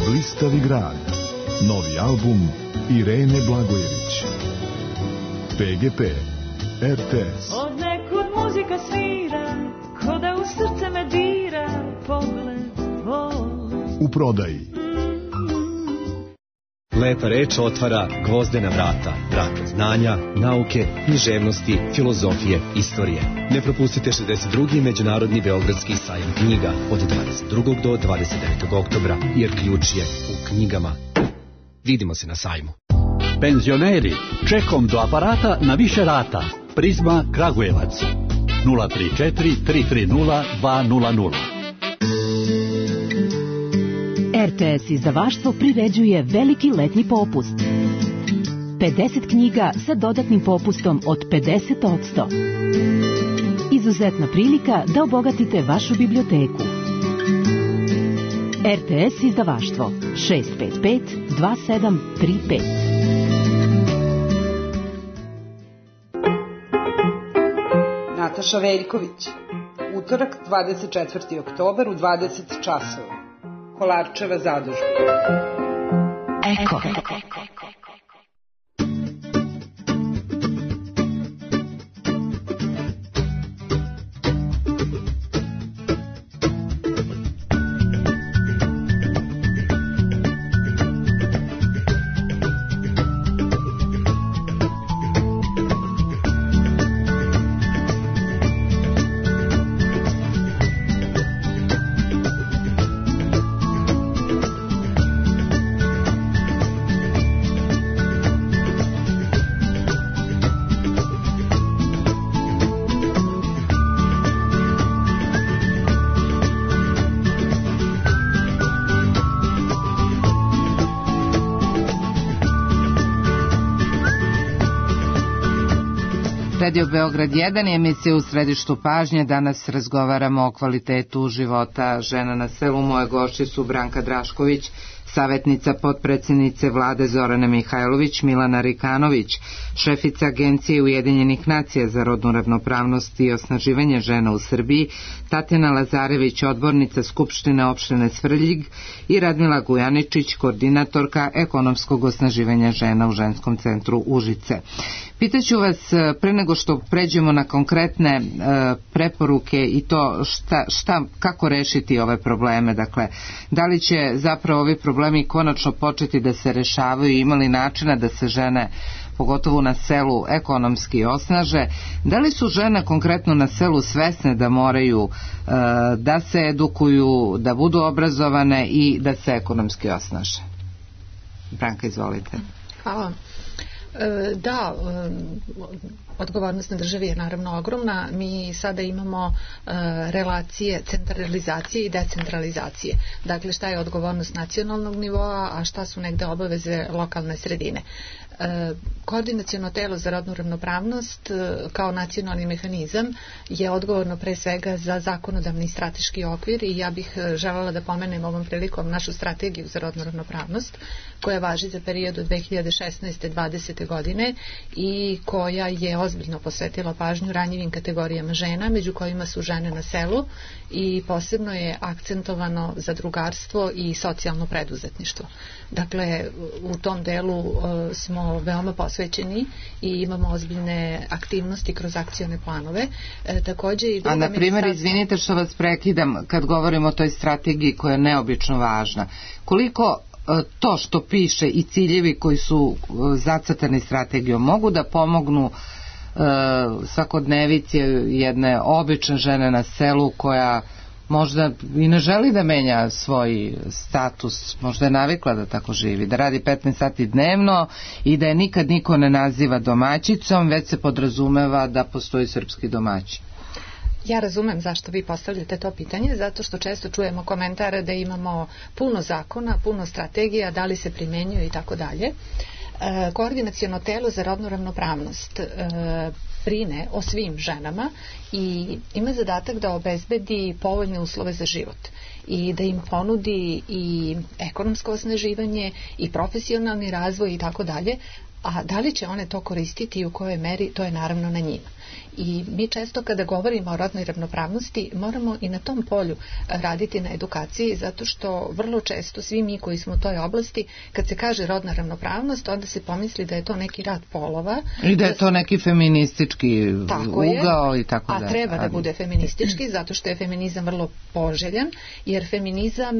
Blistavi grad. Novi album Irene Blagojević. PGP RTS. Od nekud muzika svira, ko da u srce me dira pogled tvoj. U prodaji. Lepa reč otvara gvozdena vrata, vrata znanja, nauke, književnosti, filozofije, istorije. Ne propustite 62. Međunarodni beogradski sajam knjiga od 22. do 29. oktobra, jer ključ je u knjigama. Vidimo se na sajmu. Penzioneri, čekom do aparata na više rata. Prizma Kragujevac 034 330 200. RTS izdavaštvo priređuje veliki letnji popust. 50 knjiga sa dodatnim popustom od 50%. Izuzetna prilika da obogatite vašu biblioteku. RTS izdavaštvo 655 2735. Nataša Veljković. Utorak 24. oktobar u 20 časova. Kolarčeva zadužba. Eko. Radio Beograd 1 je emisija U središtu pažnje. Danas razgovaramo o kvalitetu života žena na selu. Moje gošće su Branka Drašković, Savetnica potpredsjednice vlade Zorane Mihajlović Milana Rikanović, šefica Agencije Ujedinjenih nacija za rodnu ravnopravnost i osnaživanje žena u Srbiji Tatjana Lazarević, odbornica Skupštine opštine Svrljig, i Radmila Gujaničić, koordinatorka ekonomskog osnaživanja žena u ženskom centru Užice. Pitaću vas, pre nego što pređemo na konkretne preporuke i to kako rešiti ove probleme, dakle, da li će zapravo ovi problemi konačno početi da se rešavaju i imali načina da se žene, pogotovo na selu, ekonomski osnaže, da li su žene konkretno na selu svesne da moraju da se edukuju, da budu obrazovane i da se ekonomski osnaže? Branka, izvolite. Hvala. Da, odgovornost na državi je naravno ogromna. Mi sada imamo relacije centralizacije i decentralizacije. Dakle, šta je odgovornost nacionalnog nivoa, a šta su negde obaveze lokalne sredine. Koordinaciono telo za rodnu ravnopravnost kao nacionalni mehanizam je odgovorno pre svega za zakonodavni strateški okvir i ja bih želela da pomenem ovom prilikom našu strategiju za rodnu ravnopravnost koja važi za period od 2016-2020. godine i koja je ozbiljno posvetila pažnju ranjivim kategorijama žena, među kojima su žene na selu, i posebno je akcentovano zadrugarstvo i socijalno preduzetništvo. Dakle, u tom delu smo veoma posvećeni i imamo ozbiljne aktivnosti kroz akcione planove. Takođe i a na primjer, izvinite što vas prekidam, kad govorimo o toj strategiji koja je neobično važna, koliko to što piše i ciljevi koji su zacrtani strategijom mogu da pomognu svakodnevici jedne obične žene na selu koja možda i ne želi da menja svoj status, možda je navikla da tako živi, da radi 15 sati dnevno i da je nikad niko ne naziva domaćicom, već se podrazumeva da postoji srpski domaćin. Ja razumem zašto vi postavljate to pitanje, zato što često čujemo komentare da imamo puno zakona, puno strategija, da li se primenjuju i tako dalje. Koordinaciono telo za rodnu ravnopravnost brine o svim ženama i ima zadatak da obezbedi povoljne uslove za život i da im ponudi i ekonomsko osnaživanje i profesionalni razvoj i tako dalje, a da li će one to koristiti i u kojoj meri, to je naravno na njima. I mi često kada govorimo o rodnoj ravnopravnosti moramo i na tom polju raditi na edukaciji, zato što vrlo često svi mi koji smo u toj oblasti, kad se kaže rodna ravnopravnost, onda se pomisli da je to neki rad polova i da je to neki feministički ugao i tako dalje. A treba da bude feministički, zato što je feminizam vrlo poželjan, jer feminizam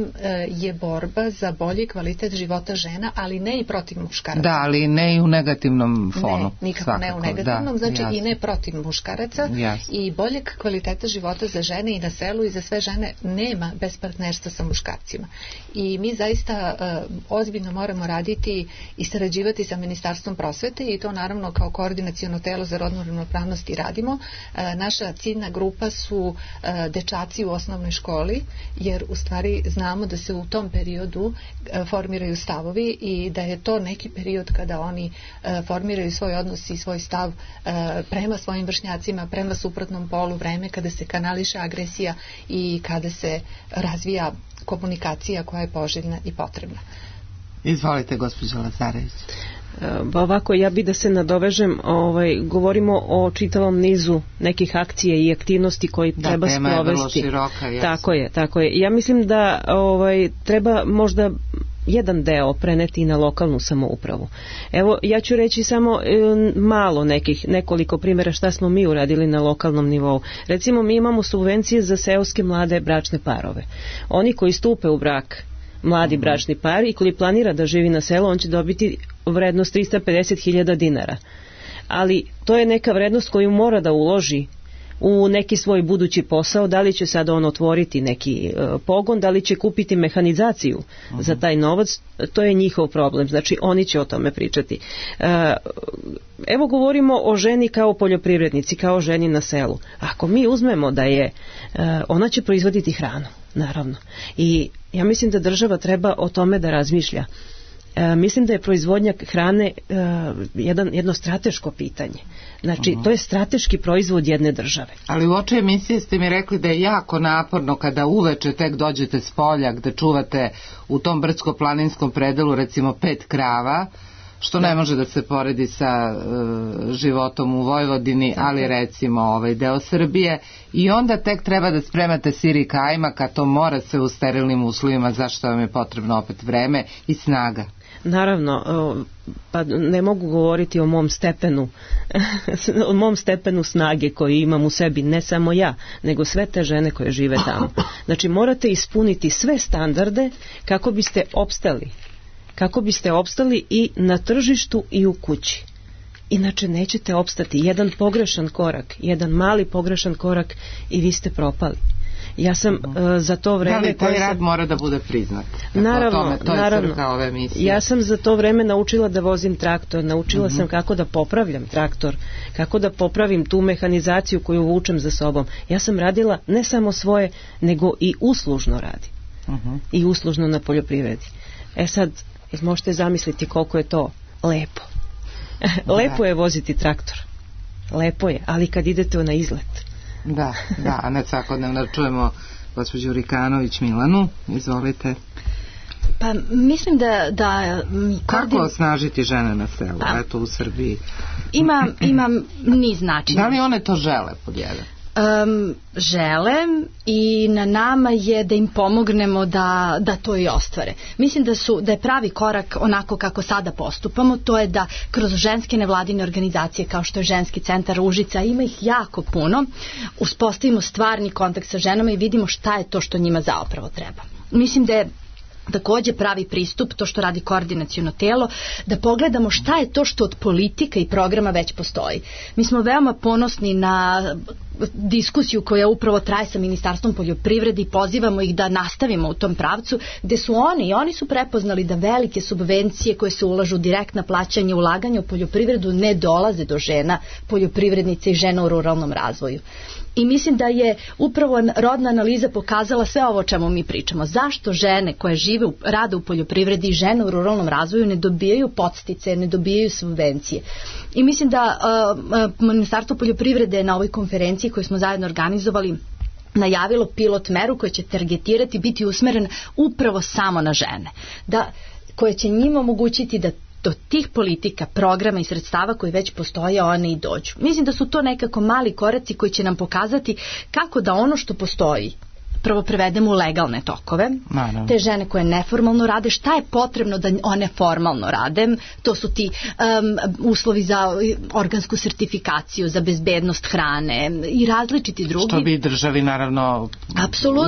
je borba za bolji kvalitet života žena, ali ne i protiv muškaraca. Da, ali ne i u negativnom fonu. Ne, nikako ne u negativnom, znači i ne protiv muškaraca i boljeg kvaliteta života za žene i na selu i za sve žene nema bez partnerstva sa muškarcima. I mi zaista ozbiljno moramo raditi i sarađivati sa Ministarstvom prosvete i to naravno kao koordinaciono telo za rodnu ravnopravnost i radimo. Naša ciljna grupa su dečaci u osnovnoj školi, jer u stvari znamo da se u tom periodu formiraju stavovi i da je to neki period kada oni formiraju svoj odnos i svoj stav prema svojim vršnjacima, prema suprotnom polu, vreme kada se kanališe agresija i kada se razvija komunikacija koja je poželjna i potrebna. Izvolite, gospođo Lazarević. Ovako, ja bi da se nadovežem, govorimo o čitavom nizu nekih akcija i aktivnosti koji treba sprovesti. Da, tema je vrlo široka. Yes. Tako je. Ja mislim da treba možda jedan deo preneti na lokalnu samoupravu. Evo, ja ću reći samo malo nekoliko primjera šta smo mi uradili na lokalnom nivou. Recimo, mi imamo subvencije za seoske mlade bračne parove. Oni koji stupe u brak, mladi bračni par, i koji planira da živi na selu, on će dobiti vrednost 350.000 dinara. Ali to je neka vrednost koju mora da uloži u neki svoj budući posao, da li će sad on otvoriti neki pogon, da li će kupiti mehanizaciju za taj novac, to je njihov problem, znači oni će o tome pričati. Evo govorimo o ženi kao poljoprivrednici, kao ženi na selu. Ako mi uzmemo da je, ona će proizvoditi hranu, naravno. I ja mislim da država treba o tome da razmišlja. Mislim da je proizvodnja hrane jedno strateško pitanje. Znači, to je strateški proizvod jedne države. Ali u oči emisije ste mi rekli da je jako naporno kada uveče tek dođete s polja gde čuvate u tom brdsko-planinskom predelu recimo 5 krava, što ne može da se poredi sa životom u Vojvodini, ali recimo ovaj deo Srbije, i onda tek treba da spremate sir i kajmak, a to mora se u sterilnim uslovima, zašto vam je potrebno opet vreme i snaga. Naravno, pa ne mogu govoriti o mom stepenu snage koji imam u sebi, ne samo ja, nego sve te žene koje žive tamo. Znači, morate ispuniti sve standarde kako biste opstali i na tržištu i u kući. Inače nećete opstati. Jedan pogrešan korak, jedan mali pogrešan korak i vi ste propali. Ja sam za to vreme... Da li taj rad mora da bude priznat? Naravno. Ove emisije. Ja sam za to vreme naučila da vozim traktor, naučila sam kako da popravljam traktor, kako da popravim tu mehanizaciju koju vučem za sobom. Ja sam radila ne samo svoje, nego i uslužno radim. I uslužno na poljoprivredi. Sad, možete zamisliti koliko je to lepo. Lepo je voziti traktor. Lepo je, ali kad idete na izlet. Da, a ne svakodnevno čujemo gospođu Rikanović Milanu, izvolite. Pa mislim da kako osnažiti žene na selu, eto u Srbiji? Ima niz načina. Da li one to žele pod jedan? Žele i na nama je da im pomognemo da to i ostvare. Mislim da je pravi korak onako kako sada postupamo, to je da kroz ženske nevladine organizacije kao što je Ženski centar Užica, ima ih jako puno, uspostavimo stvarni kontakt sa ženama i vidimo šta je to što njima zapravo treba. Mislim da je takođe pravi pristup, to što radi koordinaciono telo, da pogledamo šta je to što od politika i programa već postoji. Mi smo veoma ponosni na diskusiju koja upravo traje sa Ministarstvom poljoprivrede i pozivamo ih da nastavimo u tom pravcu, gde su oni su prepoznali da velike subvencije koje se ulažu direktna plaćanja, ulaganja u poljoprivredu ne dolaze do žena, poljoprivrednica i žena u ruralnom razvoju. I mislim da je upravo rodna analiza pokazala sve ovo o čemu mi pričamo. Zašto žene koje rade u poljoprivredi i žene u ruralnom razvoju ne dobijaju podsticaje, ne dobijaju subvencije. I mislim da Ministarstvo poljoprivrede na ovoj konferenciji koju smo zajedno organizovali najavilo pilot meru koja će targetirati, biti usmerena upravo samo na žene. Koje će njima omogućiti da do tih politika, programa i sredstava koji već postoje, one i dođu. Mislim da su to nekako mali koraci koji će nam pokazati kako da ono što postoji prvo prevedemo u legalne tokove. Te žene koje neformalno rade, šta je potrebno da one formalno rade? To su ti uslovi za organsku sertifikaciju, za bezbednost hrane i različiti drugi. Što bi državi naravno,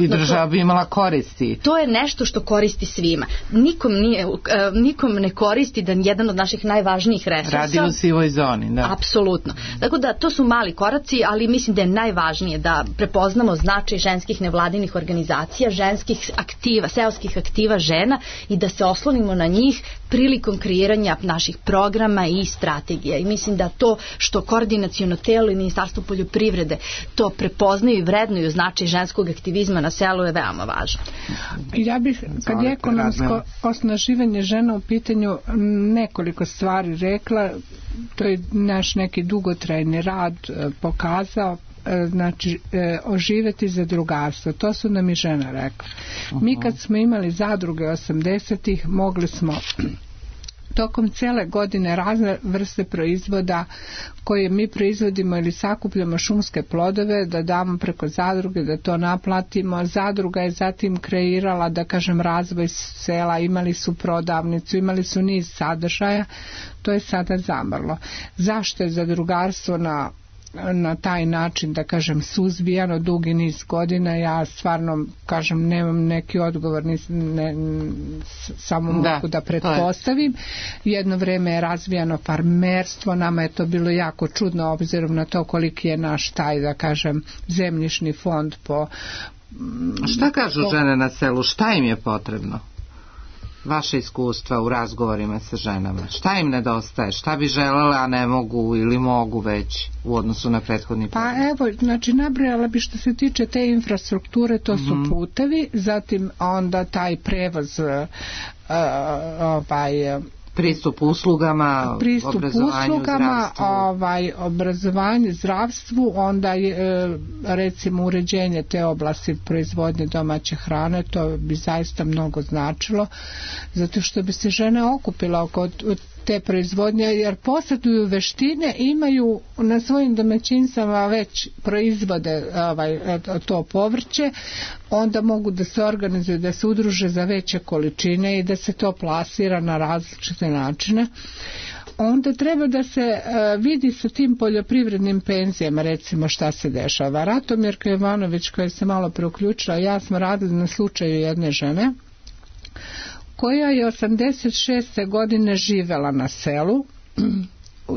i država bi imala koristi. To je nešto što koristi svima. Nikom ne koristi da jedan od naših najvažnijih resursa radi u sivoj zoni. Da. Apsolutno. Tako da to su mali koraci, ali mislim da je najvažnije da prepoznamo značaj ženskih nevladinih organizacija, ženskih aktiva, seoskih aktiva žena i da se oslonimo na njih prilikom kreiranja naših programa i strategija. I mislim da to što koordinaciono telo i Ministarstvo poljoprivrede to prepoznaju i vrednuju značaj ženskog aktivizma na selu je veoma važno. Ja bih, kad je ekonomsko osnaživanje žena u pitanju, nekoliko stvari rekla. To je naš neki dugotrajni rad pokazao. Znači, oživeti zadrugarstvo, to su nam i žena rekla. Mi kad smo imali zadruge 80-ih, mogli smo tokom cele godine razne vrste proizvoda koje mi proizvodimo ili sakupljamo šumske plodove, da damo preko zadruge, da to naplatimo. Zadruga je zatim kreirala, da kažem, razvoj sela, imali su prodavnicu, imali su niz sadržaja, to je sada zamrlo. Zašto je zadrugarstvo na taj način, da kažem, suzbijano dugi niz godina? Ja stvarno, kažem, nemam neki odgovor, samo mogu da pretpostavim. Jedno vreme je razvijano farmerstvo, nama je to bilo jako čudno obzirom na to koliki je naš taj, da kažem, zemljišni fond po... Šta kažu žene na selu? Šta im je potrebno? vaše iskustva u razgovorima sa ženama? Šta im nedostaje? Šta bi želele, a ne mogu ili mogu već u odnosu na prethodni period? Pa evo, znači nabrojala bi što se tiče te infrastrukture, to su putevi, zatim onda taj prevoz, pristup uslugama, obrazovanje, zdravstvu, onda recimo uređenje te oblasti proizvodnje domaće hrane, to bi zaista mnogo značilo, zato što bi se žene okupila oko te proizvodnje, jer posjeduju veštine, imaju na svojim domaćinstvama već proizvode to povrće, onda mogu da se organizuju, da se udruže za veće količine i da se to plasira na različite načine. Onda treba da se vidi sa tim poljoprivrednim penzijama, recimo šta se dešava. Ratomirka Jovanović, koja se malo preuključila, ja smo radili na slučaju jedne žene koja je 86. godine živela na selu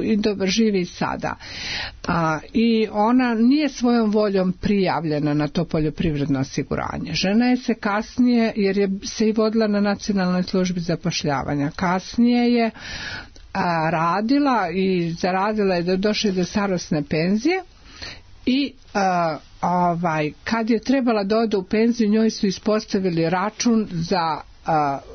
i dobro živi i sada. I ona nije svojom voljom prijavljena na to poljoprivredno osiguranje. Žena je se kasnije, jer je se i vodila na Nacionalnoj službi zapošljavanja, kasnije je radila i zaradila je da došli do starosne penzije i kad je trebala da ode u penziju, njoj su ispostavili račun za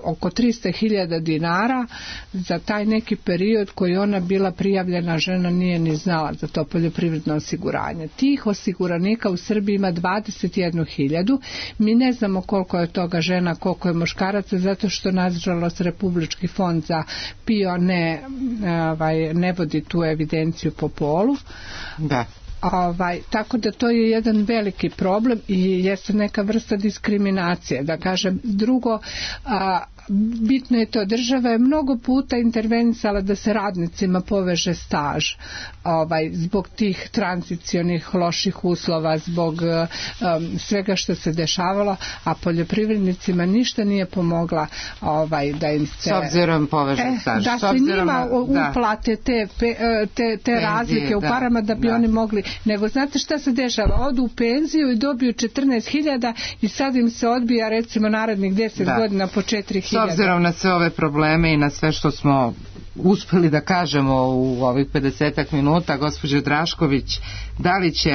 oko 300.000 dinara za taj neki period koji ona bila prijavljena, žena nije ni znala za to poljoprivredno osiguranje. Tih osiguranika u Srbiji ima 21.000. Mi ne znamo koliko je toga žena, koliko je muškaraca, zato što nažalost Republički fond za PIO ne vodi tu evidenciju po polu. Da. Tako da to je jedan veliki problem i jeste neka vrsta diskriminacije, da kažem. Drugo, bitno je to, država je mnogo puta intervenisala da se radnicima poveže staž zbog tih tranzicionih loših uslova, zbog svega što se dešavalo, a poljoprivrednicima ništa nije pomogla da im se s obzirom poveže staž, da se njima uplate te razlike u parama da bi oni mogli, nego znate šta se dešava, odu u penziju i dobiju 14.000 i sad im se odbija recimo narednih 10 godina po 4.000. S obzirom na sve ove probleme i na sve što smo uspeli da kažemo u ovih 50 minuta, gospođo Drašković, da li će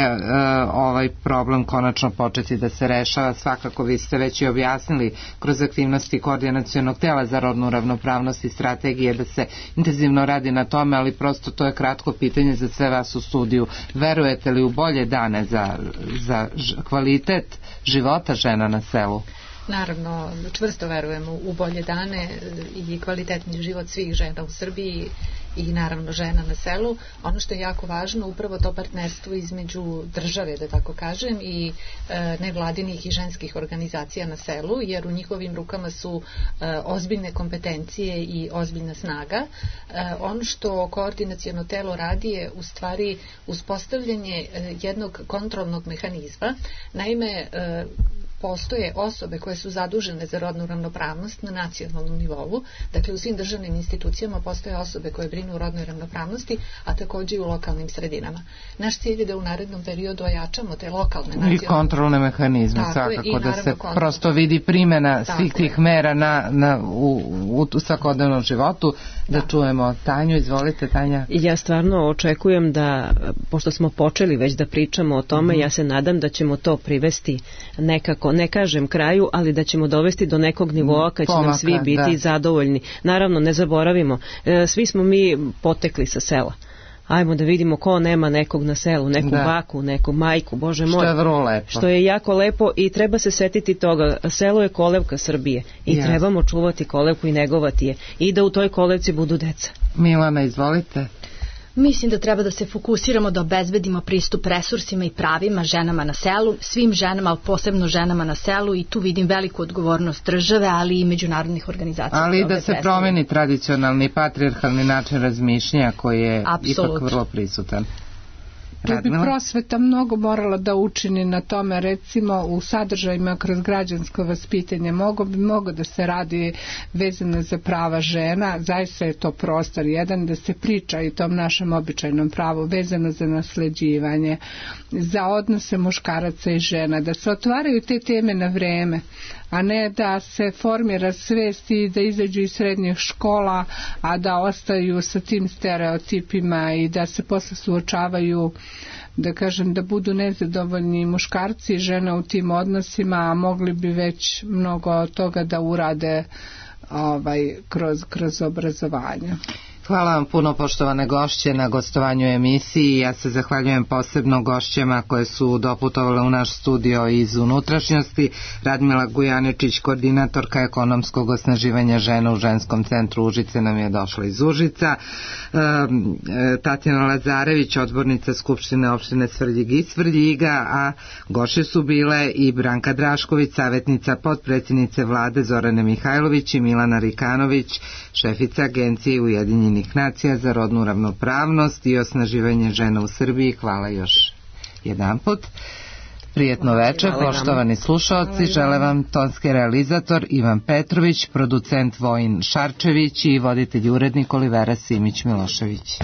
ovaj problem konačno početi da se rešava? Svakako vi ste već i objasnili kroz aktivnosti Koordinacionog tela za rodnu ravnopravnost i strategije da se intenzivno radi na tome, ali prosto to je kratko pitanje za sve vas u studiju. Verujete li u bolje dane za kvalitet života žena na selu? Naravno, čvrsto verujemo u bolje dane i kvalitetni život svih žena u Srbiji i naravno žena na selu. Ono što je jako važno, upravo to partnerstvo između države, da tako kažem, i nevladinih i ženskih organizacija na selu, jer u njihovim rukama su ozbiljne kompetencije i ozbiljna snaga. Ono što koordinaciono telo radi je u stvari uspostavljanje jednog kontrolnog mehanizma. Naime, postoje osobe koje su zadužene za rodnu ravnopravnost na nacionalnom nivou, dakle u svim državnim institucijama postoje osobe koje brinu o rodnoj ravnopravnosti, a također i u lokalnim sredinama. Naš cilj je da u narednom periodu ojačamo te lokalne nacionalne i kontrolne mehanizme, svakako da se prosto vidi primjena svih tih mera u svakodnevnom životu. Da čujemo Tanju, izvolite Tanja. Ja stvarno očekujem da, pošto smo počeli već da pričamo o tome, ja se nadam da ćemo to privesti nekako, ne kažem kraju, ali da ćemo dovesti do nekog nivoa kad će nam svi biti zadovoljni. Naravno, ne zaboravimo, svi smo mi potekli sa sela. Ajmo da vidimo ko nema nekog na selu, neku baku, neku majku, Bože moj. Što je vrlo lepo. Što je jako lepo i treba se setiti toga. Selo je kolevka Srbije i trebamo čuvati kolevku i negovati je. I da u toj kolevci budu deca. Milana, izvolite. Mislim da treba da se fokusiramo da obezbedimo pristup resursima i pravima ženama na selu, svim ženama, ali posebno ženama na selu, i tu vidim veliku odgovornost države, ali i međunarodnih organizacija. Ali da se promeni tradicionalni patrijarhalni način razmišljanja koji je ipak vrlo prisutan. Tu bi prosveta mnogo morala da učini na tome, recimo u sadržajima kroz građansko vaspitanje mogo da se radi vezano za prava žena, zaista je to prostor jedan da se priča i tom našem običajnom pravu vezano za nasleđivanje, za odnose muškaraca i žena, da se otvaraju te teme na vreme, a ne da se formira svest i da izađu iz srednjih škola, a da ostaju sa tim stereotipima i da se posle suočavaju, da kažem, da budu nezadovoljni muškarci i žene u tim odnosima, a mogli bi već mnogo toga da urade kroz obrazovanje. Hvala vam puno, poštovane gošće, na gostovanju emisiji. Ja se zahvaljujem posebno gošćama koje su doputovale u naš studio iz unutrašnjosti. Radmila Gujaničić, koordinatorka ekonomskog osnaživanja žena u ženskom centru Užice, nam je došla iz Užica. Tatjana Lazarević, odbornica Skupštine opštine Svrljig i Svrljiga, a gošće su bile i Branka Drašković, savjetnica potpredsjednice vlade Zorane Mihajlović, i Milana Rikanović, šefica Agencije Ujedinjenih nacija za rodnu ravnopravnost i osnaživanje žena u Srbiji. Hvala još jedanput. Prijetno večer, poštovani slušaoci. Žele vam tonski realizator Ivan Petrović, producent Vojin Šarčević i voditelj urednik Olivera Simić Milošević.